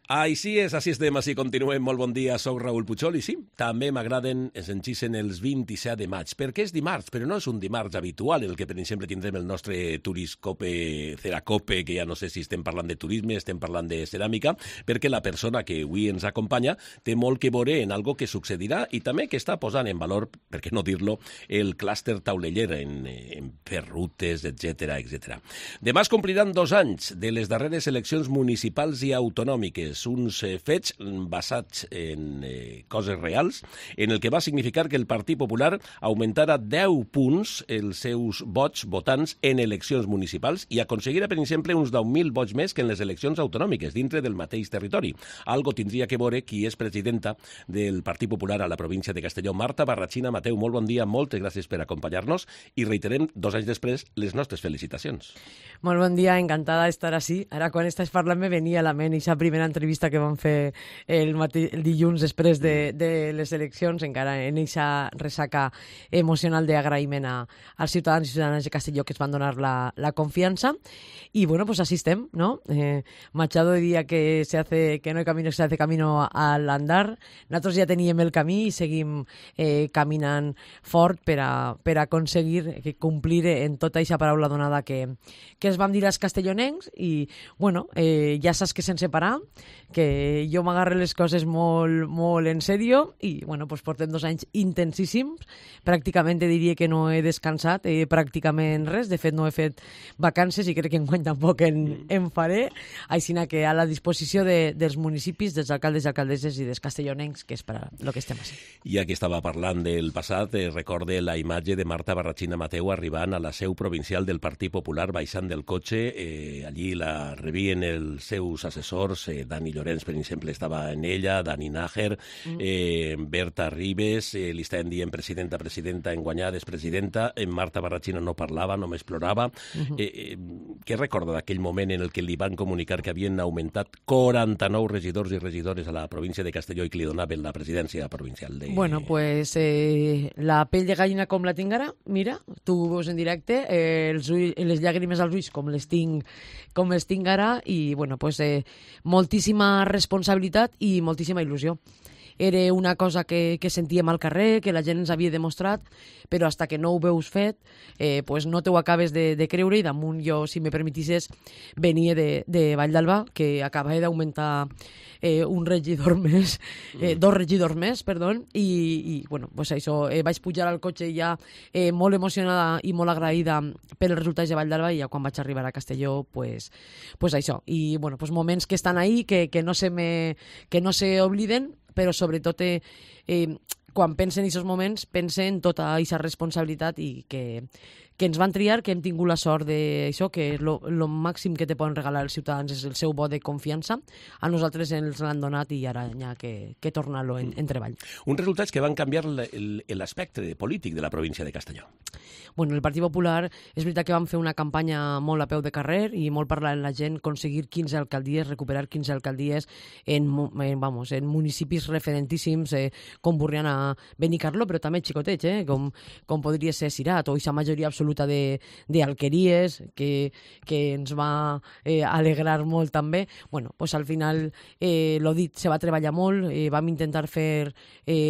Així és, així estem, així continuem. Molt bon dia, soc Raül Puigol i sí, també m'agraden, ens enxisen els 27 de maig, perquè és dimarts, però no és un dimarts habitual, en el que per exemple tindrem el nostre Turiscope, Ceracope, que ja no sé si estem parlant de turisme, estem parlant de ceràmica, perquè la persona que avui ens acompanya té molt que veure en algo que succedirà i també que està posant en valor, per què no dir-lo, el clúster tauleller en fer rutes, etc. Demà es compliran 2 anys de les darreres eleccions municipals i autonòmiques, uns fets basats en coses reals, en el que va significar que el Partit Popular augmentara 10 punts els seus votants en eleccions municipals i aconseguira, per exemple, uns 10.000 vots més que en les eleccions autonòmiques dintre del mateix territori. Algo tindria que veure qui és presidenta del Partit Popular a la província de Castelló. Marta Barrachina Mateu, molt bon dia, moltes gràcies per acompanyar-nos i reiterem 2 anys després les nostres felicitacions. Molt bon dia, encantada d'estar així. Ara quan estàs parlant me venia a la ment aquesta primera entrevista que vam fer el dilluns després de les eleccions, encara en aquesta ressaca emocional d'agraïment als ciutadans i ciutadanes de Castelló que es van donar la confiança. Y bueno, pues así estem, ¿no? Machado diría que no hay camino, se hace camino al andar. Nosaltres ja teníem el camí i seguim caminant fort per a aconseguir complir en tota aquesta paraula donada que es vam dir als castellonencs i, bueno, ja saps que sense parar, que jo m'agarre les coses molt, molt en sèrio i, bueno, pues portem 2 anys intensíssims. Pràcticament diria que no he descansat pràcticament res. De fet, no he fet vacances i crec que enguany tampoc en faré. Així que a la disposició dels municipis, dels alcaldes i alcaldesses i dels castellonencs, que és per a lo que estem així. Ja que estava parlant del passat, recorde la imatge de Marta Barrachina Mateu arribant a la seu provincial del Partit Popular, baixant del cotxe. Allí la rebien els seus assessors, Dani Llorenç, per exemple, estava en ella, Dani Nájer, Berta Ribes, li estaven dient presidenta, enguanyades presidenta, Marta Barrachina no parlava, només plorava. Què recorda d'aquell moment en el que li van comunicar que havien augmentat 49 regidors i regidores a la província de Castelló i que li donaven la presidència provincial? Bueno, pues la pell de gallina com la tinc ara, mira, tu ho veus en directe, les llàgrimes als ulls com les tinc ara i, bueno, pues moltíssima responsabilitat i moltíssima il·lusió. Era una cosa que sentíem al carrer, que la gent ens havia demostrat, però hasta que no ho veus fet, pues no t'ho acabes de creure. I damunt jo, si me permetisses, venia de Vall d'Alba, que acabava d'augmentar un regidor més, 2 regidors més, perdó, i bueno, pues això, vaig pujar al cotxe ja molt emocionada i molt agraïda pels resultats de Vall d'Alba i ja quan vaig arribar a Castelló, pues això. I bueno, pues moments que estan ahí, que no se obliden, però sobretot quan pensen en aquests moments, pensen en tota aquesta responsabilitat i que ens van triar, que hem tingut la sort d'això, que el màxim que te poden regalar els ciutadans és el seu vot de confiança. A nosaltres ens l'han donat i ara hi ha que tornar-lo en treball. Uns resultats que van canviar l'aspecte polític de la província de Castelló. Bueno, el Partit Popular és veritat que vam fer una campanya molt a peu de carrer i molt parlar amb la gent, aconseguir 15 alcaldies, recuperar 15 alcaldies en municipis referentíssims com Borriana, Benicarló, però també xicotets, com podria ser Cirat o aquesta majoria absoluta d'alqueries que ens va alegrar molt també. Bueno, pues al final, l'ho dit, se va treballar molt, vam intentar fer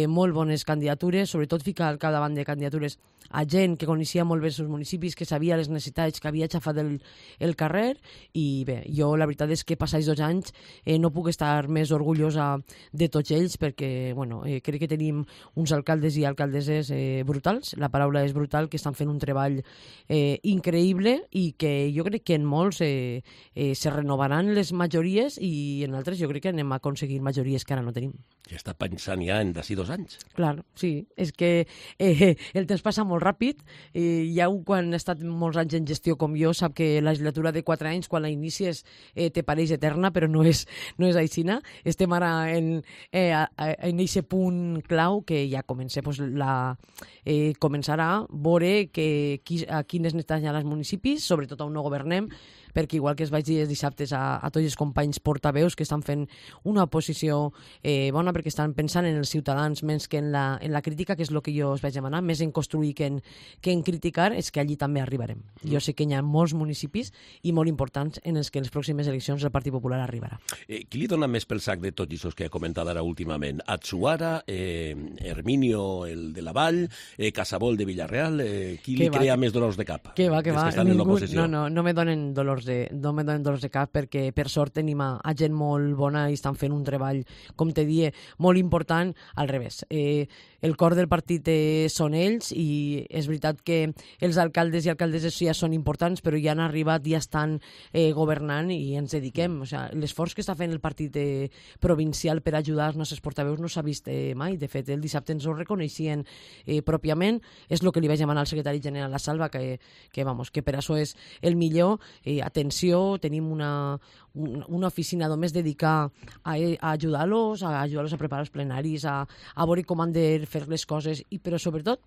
molt bones candidatures, sobretot ficar al capdavant de candidatures a gent que coneixia molt bé els seus municipis, que sabia les necessitats, que havia aixafat el carrer i bé, jo la veritat és que passats 2 anys no puc estar més orgullosa de tots ells perquè, bueno, crec que tenim uns alcaldes i alcaldesses brutals, la paraula és brutal, que estan fent un treball increïble i que jo crec que en molts se renovaran les majories i en altres jo crec que anem a aconseguir majories que ara no tenim. Ja està pensant ja en d'ací 2 anys. Clar, sí, és que el temps passa molt ràpid. Ja quan ha estat molts anys en gestió com jo sap que la legislatura de 4 anys quan la inicies te pareix eterna, però no és aixina. Estem ara en aquest punt clau que ja comença començarà a veure a quines necessitats hi ha als municipis, sobretot on no governem, perquè igual que es vaig dir els dissabtes a tots els companys portaveus que estan fent una oposició bona perquè estan pensant en els ciutadans menys que en la crítica, que és el que jo us vaig demanar, més en construir que en criticar, és que allí també arribarem. Jo sé que hi ha molts municipis i molt importants en els que en les pròximes eleccions el Partit Popular arribarà. Qui li dona més pel sac de tots això que ha comentat ara últimament? Atsuara, Herminio, el de la Vall, Casabol de Villarreal, qui li crea més dolors de cap? Que va. Que estan en l'oposició. No me donen dolors de cap perquè per sort tenim a gent molt bona i estan fent un treball, com te die, molt important, al revés. El cor del partit són ells i és veritat que els alcaldes i alcaldesses ja són importants, però ja han arribat, ja estan governant i ens dediquem. O sigui, l'esforç que està fent el partit provincial per ajudar els nostres portaveus no s'ha vist mai. De fet, el dissabte ens ho reconeixien pròpiament. És el que li vaig demanar al secretari general a Salva, que per això és el millor. Atenció, tenim una oficina només dedicada a ajudar-los a preparar els plenaris, a veure com han de fer les coses, però sobretot,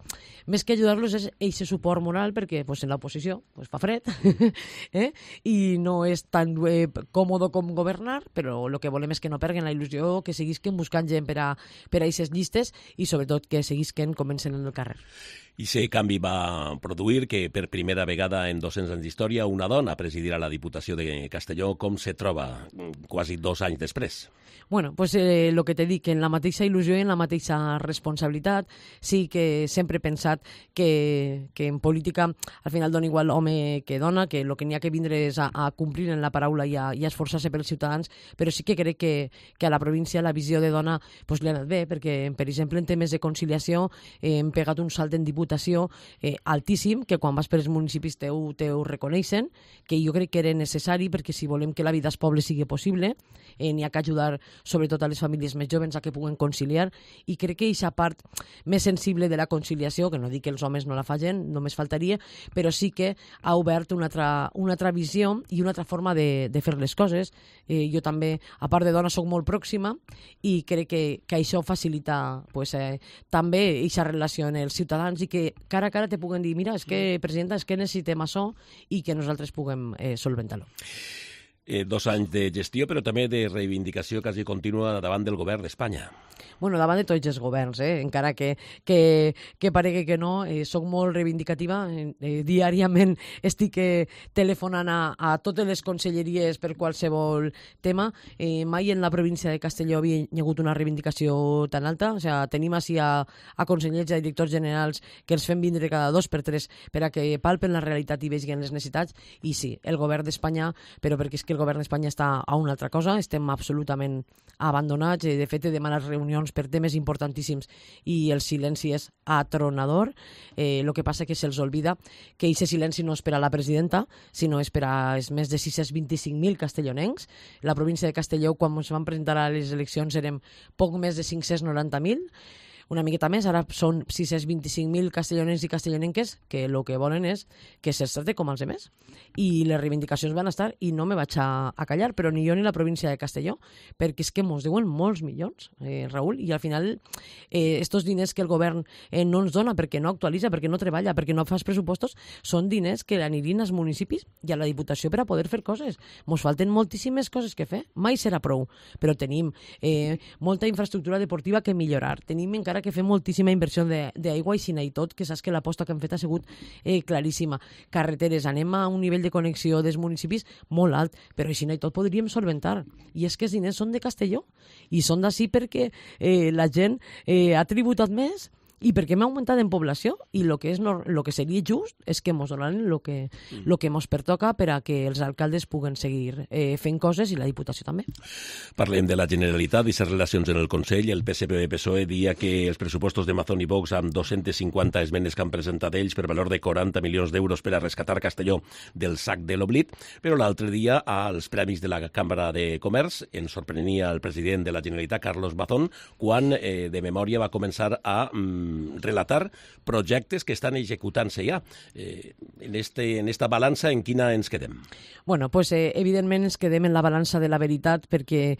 més que ajudar-los és aquest suport moral, perquè en l'oposició fa fred i no és tan còmode com governar, però el que volem és que no perguen la il·lusió, que seguisquen buscant gent per a aquestes llistes i sobretot que seguisquen comencen en el carrer. I aquest canvi va produir que per primera vegada en 200 anys d'història una dona presidirà la Diputació de Castelló. Com se troba quasi 2 anys després? Bueno, pues el que t'he dit, que en la mateixa il·lusió i en la mateixa responsabilitat, sí que sempre he pensat que en política al final dona igual home que dona, que el que n'hi ha que vindre és a complir en la paraula i a esforçar-se pels ciutadans, però sí que crec que a la província la visió de dona li ha anat bé, perquè, per exemple, en temes de conciliació hem pegat un salt en diputació altíssim, que quan vas per els municipis teu reconeixen, que jo crec que era necessari, perquè si volem que la vida als pobles sigui possible, n'hi ha que ajudar sobretot a les famílies més joves a que puguen conciliar, i crec que aquesta part més sensible de la conciliació, que no dic que els homes no la facin, només faltaria, però sí que ha obert una altra visió i una altra forma de fer les coses. Jo també, a part de dona, soc molt pròxima i crec que això facilita també aquesta relació en els ciutadans i que cara a cara te puguen dir, mira, és que, presidenta, és que necessitem això i que nosaltres puguem solventar-lo. 2 anys de gestió, però també de reivindicació quasi contínua davant del govern d'Espanya. Bueno, davant de tots els governs, encara que paregui que no, soc molt reivindicativa. Diàriament estic telefonant a totes les conselleries per qualsevol tema. Mai en la província de Castelló havia hagut una reivindicació tan alta. O sigui, tenim així a consellers i a directors generals que els fem vindre cada 2 per 3 per a que palpen la realitat i vegin les necessitats. I sí, el govern d'Espanya, però perquè és que el govern d'Espanya està a una altra cosa, estem absolutament abandonats. De fet, he demanat reunions per temes importantíssims i el silenci és atronador. El que passa que se'ls olvida que aquest silenci no és per a la presidenta, sinó és per a més de 625.000 castellonencs. La província de Castelló, quan ens van presentar a les eleccions, érem poc més de 590.000. Una miqueta més, ara són 625.000 castellonencs i castellonenques que el que volen és que se'ls tracti com els demés. I les reivindicacions van estar, i no me vaig a callar, però ni jo ni la província de Castelló, perquè és que ens diuen molts milions, Raül, i al final estos diners que el govern no ens dona perquè no actualitza, perquè no treballa, perquè no fa els pressupostos, són diners que anirien als municipis i a la Diputació per a poder fer coses. Ens falten moltíssimes coses que fer, mai serà prou, però tenim molta infraestructura deportiva que millorar, tenim encara que fer moltíssima inversió d'aigua i i tot, que saps que l'aposta que han fet ha sigut claríssima. Carreteres, anem a un nivell de connexió dels municipis molt alt, però i tot podríem solventar. I és que els diners són de Castelló i són d'ací perquè la gent ha tributat més i perquè hem augmentat en població, i el que seria just és que ens donaran el que ens pertoca per a que els alcaldes puguen seguir fent coses i la Diputació també. Parlem de la Generalitat i les relacions en el Consell. El PSPV-PSOE dia que els pressupostos de Mazón i Vox, amb 250 esmenes que han presentat ells per valor de 40 milions d'euros per a rescatar Castelló del sac de l'oblit, però l'altre dia als premis de la Cambra de Comerç ens sorprenia el president de la Generalitat, Carlos Mazón, quan de memòria va començar a relatar projectes que estan executant-se ja. En esta balança, en quina ens quedem? Bueno, pues evidentment ens quedem en la balança de la veritat, perquè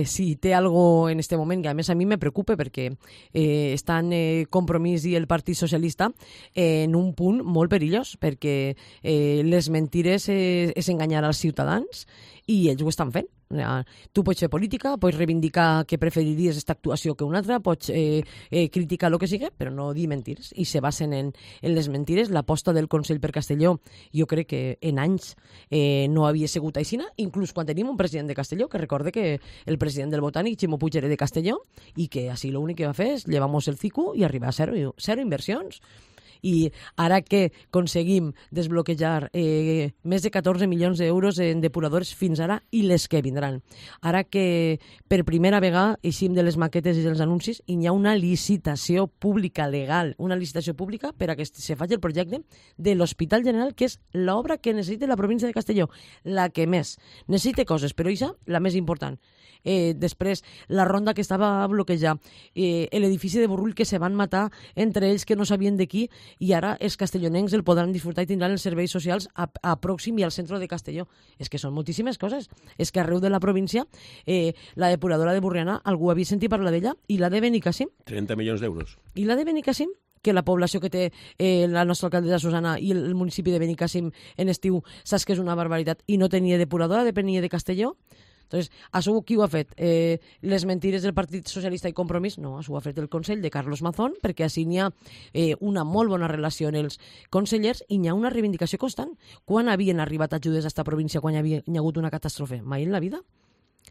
si té algo en este moment, que a més a mi me preocupa perquè estan Compromís i el Partit Socialista en un punt molt perillós, perquè les mentires és enganyar als ciutadans i ells ho estan fent. Tu pots fer política, pots reivindicar que preferiries aquesta actuació que una altra, pots criticar el que sigui, però no dir mentires. I se basen en les mentires. L'aposta del Consell per Castelló, jo crec que en anys no havia sigut aixina, inclús quan tenim un president de Castelló, que recorde que el president del Botànic, Ximo Puig, era de Castelló, i que així l'únic que va fer és llevar-nos el cicu i arribar a zero inversions. I ara que aconseguim desbloquejar més de 14 milions d'euros en depuradors fins ara i les que vindran. Ara que per primera vegada eixim de les maquetes i dels anuncis i hi ha una licitació pública legal, una licitació pública per a que se faci el projecte de l'Hospital General, que és l'obra que necessita la província de Castelló, la que més necessita coses, però això la més important. Després, la ronda que estava a bloquejar, l'edifici de Burrull que se van matar entre ells que no sabien de qui, i ara els castellonencs el podran disfrutar i tindran els serveis socials a Pròxim i al centre de Castelló. És que són moltíssimes coses. És que arreu de la província la depuradora de Burriana, algú havia sentit parlar d'ella, i la de Benicàssim. 30 milions d'euros. I la de Benicàssim, que la població que té la nostra alcaldessa Susana i el municipi de Benicàssim en estiu, saps que és una barbaritat, i no tenia depuradora, depenia de Castelló. Entonces, això qui ho ha fet? Les mentires del Partit Socialista i Compromís? No, això ho ha fet el Consell de Carlos Mazón, perquè així n'hi ha una molt bona relació en els consellers i n'hi ha una reivindicació constant. Quan havien arribat ajudes a esta província quan hi ha hagut una catàstrofe? Mai en la vida.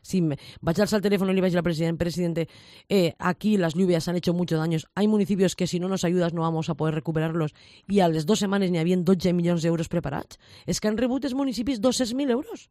Si vaig alzar el teléfono y le vaig al presidente, aquí las lluvias han hecho muchos daños, hay municipios que si no nos ayudas no vamos a poder recuperarlos, i a les 2 setmanes n'hi havia 12 milions d'euros preparats. És que han rebut els municipis 200.000 euros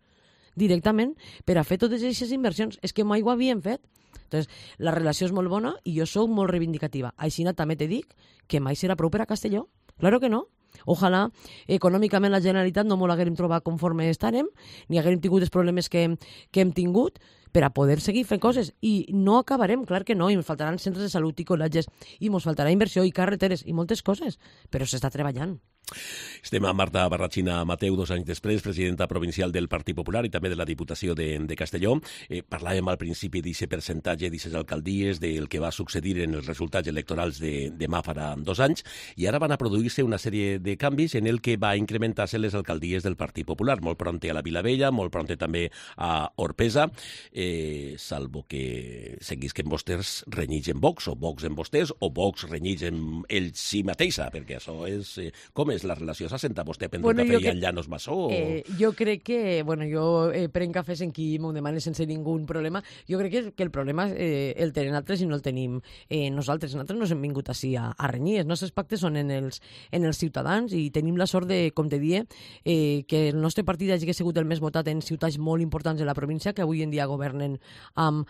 directament per a fer totes aquestes inversions. És que mai ho havien fet. Entonces, la relació és molt bona i jo sóc molt reivindicativa. Així també te dic que mai serà prou per a Castelló. Claro que no. Ojalà econòmicament la Generalitat no m'ho haguem trobat conforme estarem, ni haguem tingut els problemes que hem tingut per a poder seguir fent coses. I no acabarem, clar que no, i ens faltaran centres de salut i col·legis, i ens faltarà inversió i carreteres i moltes coses, però s'està treballant. Estem amb Marta Barrachina Mateu, 2 anys després, presidenta provincial del Partit Popular i també de la Diputació de Castelló. Parlàvem al principi d'aquest percentatge, d'aquestes alcaldies, del que va succeir en els resultats electorals de demà farà 2 anys, i ara van a produir-se una sèrie de canvis en el que va incrementar-se les alcaldies del Partit Popular, molt pronte a la Vilavella, molt pronte també a Orpesa, salvo que seguisquen vostès renyits en Vox, o Vox en vostès, o Vox renyits en ells si mateixa, perquè això és... Com és la relació? S'ha sentat vostè a prendre un cafè i en Llanos Massó? Jo crec que... Jo prenc cafès en qui m'ho demana sense ningú problema. Jo crec que el problema el tenen altres i no el tenim nosaltres. Nosaltres no hem vingut així a renyir. Els nostres pactes són en els ciutadans i tenim la sort de, com te die, que el nostre partit hagi sigut el més votat en ciutats molt importants de la província, que avui en dia governen amb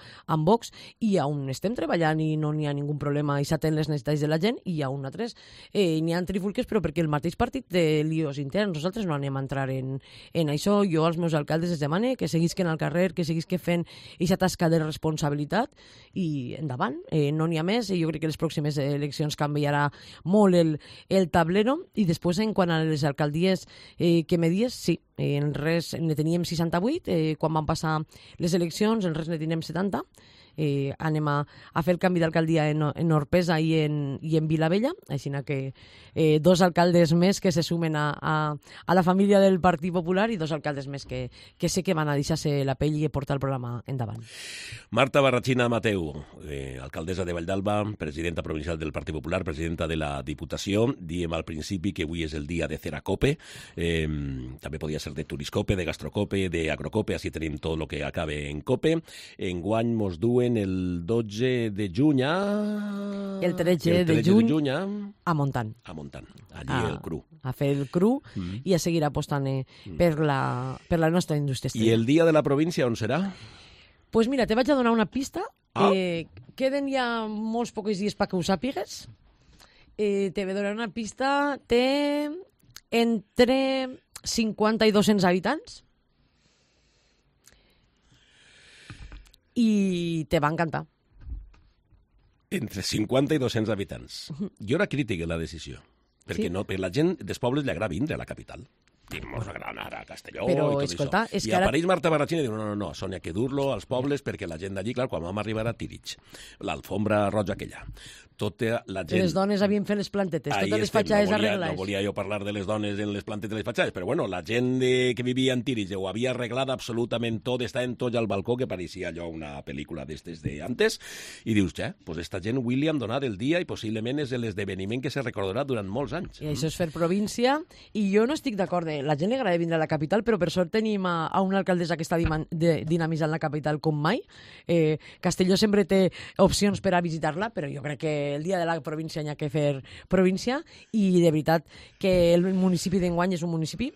Vox, i on estem treballant i no n'hi ha ningú problema i s'atén les necessitats de la gent, i a un altres n'hi ha trifulques, però perquè el mateix partit té líos interns. Nosaltres no anem a entrar en això. Jo als meus alcaldes els demane que seguisquen al carrer, que seguisquen fent aquesta tasca de responsabilitat i endavant. No n'hi ha més. Jo crec que les pròximes eleccions canviarà molt el tablero. I després, en quant a les alcaldies que me dies, sí, en res ne teníem 68, quan van passar les eleccions, en res ne teníem 70. Anem a fer el canvi d'alcaldia en Orpesa i en Vilavella, així que 2 alcaldes més que se sumen a la família del Partit Popular i 2 alcaldes més que sé que van a deixar-se la pell i portar el programa endavant. Marta Barrachina Mateu, alcaldessa de Valldalba, presidenta provincial del Partit Popular, presidenta de la Diputació. Diem al principi que avui és el dia de Ceracope, també podia ser de Turiscope, de Gastrocope, de Agrocope, així tenim tot el que acabe en Cope. Enguany mos duen el 12 de juny el 13 de juny a Montant. Allí el cru. A fer el cru i a seguir apostant per la nostra indústria. I el dia de la província on serà? Pues mira, te vaig a donar una pista. Queden ja molts pocs dies perquè ho sàpigues. Te vaig donar una pista. Té entre 50 i 200 habitants. I te va encantar. Entre 50 i 200 habitants. Jo era crític en la decisió, perquè no, per la gent dels pobles li agrada vindre a la capital. Mos agrada anar a Castelló però, i tot escolta, això. I a París Marta Barrachina diu, no, Sònia, que dur-lo als pobles perquè la gent d'allí, clar, quan vam arribar a Tirich, l'alfombra roja aquella, tota la gent... Les dones havien fet les plantetes, totes les fatxades arreglades. No volia jo parlar de les dones en les plantetes de les fatxades, però bueno, la gent que vivia en Tirich ho havia arreglat absolutament tot, estaven tots al balcó, que pareixia allò una pel·lícula d'estes d'antes, i dius, pues esta gent avui li han donat el dia i possiblement és l'esdeveniment que se recordarà durant molts anys. I això és fer província, i jo no estic d'acord. La gent li agrada vindre a la capital, però per sort tenim a una alcaldessa que està dinamitzant la capital com mai. Castelló sempre té opcions per a visitar-la, però jo crec que el dia de la província hi ha que fer província, i de veritat que el municipi d'enguany és un municipi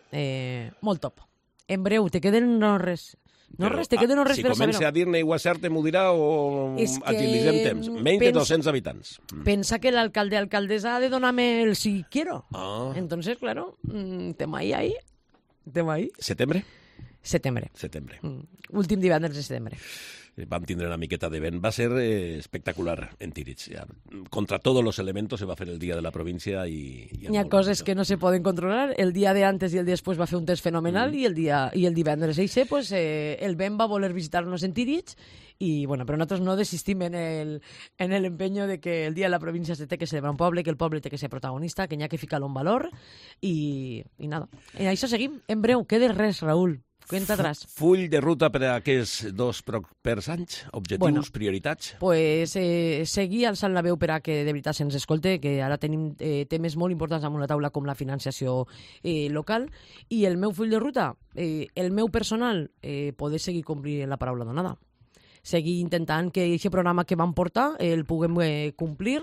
molt top. En breu, te queden res. Te queden res per a saber-ho. Si comença a dir-ne i ho acerte, m'ho dirà o agilitzem temps. Menys de 200 habitants. Pensa que l'alcalde alcaldessa ha de donar-me el si quiero. Entonces, claro, tema ahí. Setembre? Setembre. Últim divendres de setembre. Vam tindre una miqueta de vent. Va ser espectacular en Tirich. Contra todos los elementos se va fer el dia de la província i... Hi ha coses que no se poden controlar. El dia de antes i el dia després va fer un test fenomenal i el divendres eixe, pues, el vent va voler visitar-nos en Tirich i, bueno, però nosaltres no desistim en el empeño de que el dia de la província se té que celebrar un poble, que el poble té que ser protagonista, que n'hi ha que ficar-lo en valor i nada. I això seguim. En breu, queda res, Raül. Cuenta atrás. Full de ruta per a aquests 2 propers anys? Objectius, prioritats? Pues seguir alçant la veu per a que de veritat se'ns escolte, que ara tenim temes molt importants damunt la taula com la financiació local, i el meu full de ruta, el meu personal, poder seguir complint la paraula donada. Seguir intentant que aquest programa que vam portar el puguem complir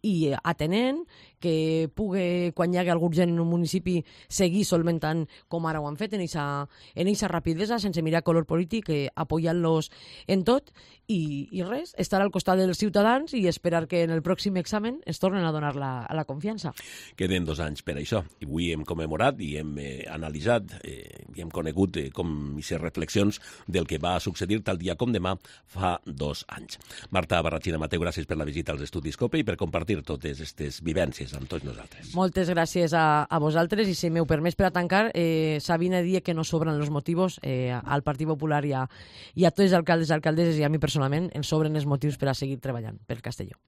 i atenent, que pugui, quan hi hagi algun gent en un municipi, seguir solventant com ara ho han fet en eixa rapidesa, sense mirar color polític, apoyant-los en tot, i res, estar al costat dels ciutadans i esperar que en el pròxim examen ens tornen a donar la confiança. Queden 2 anys per això, i avui hem commemorat i hem analitzat i hem conegut com aquestes reflexions del que va succeir tal dia com demà fa 2 anys. Marta Barrachina Mateu, gràcies per la visita als estudis COPE i per compartir totes aquestes vivències amb tots nosaltres. Moltes gràcies a vosaltres, i si m'heu permès per a tancar, Sabina dia que no sobren els motius al Partit Popular i a tots els alcaldes i alcaldesses i a mi personalment ens sobren els motius per a seguir treballant per Castelló.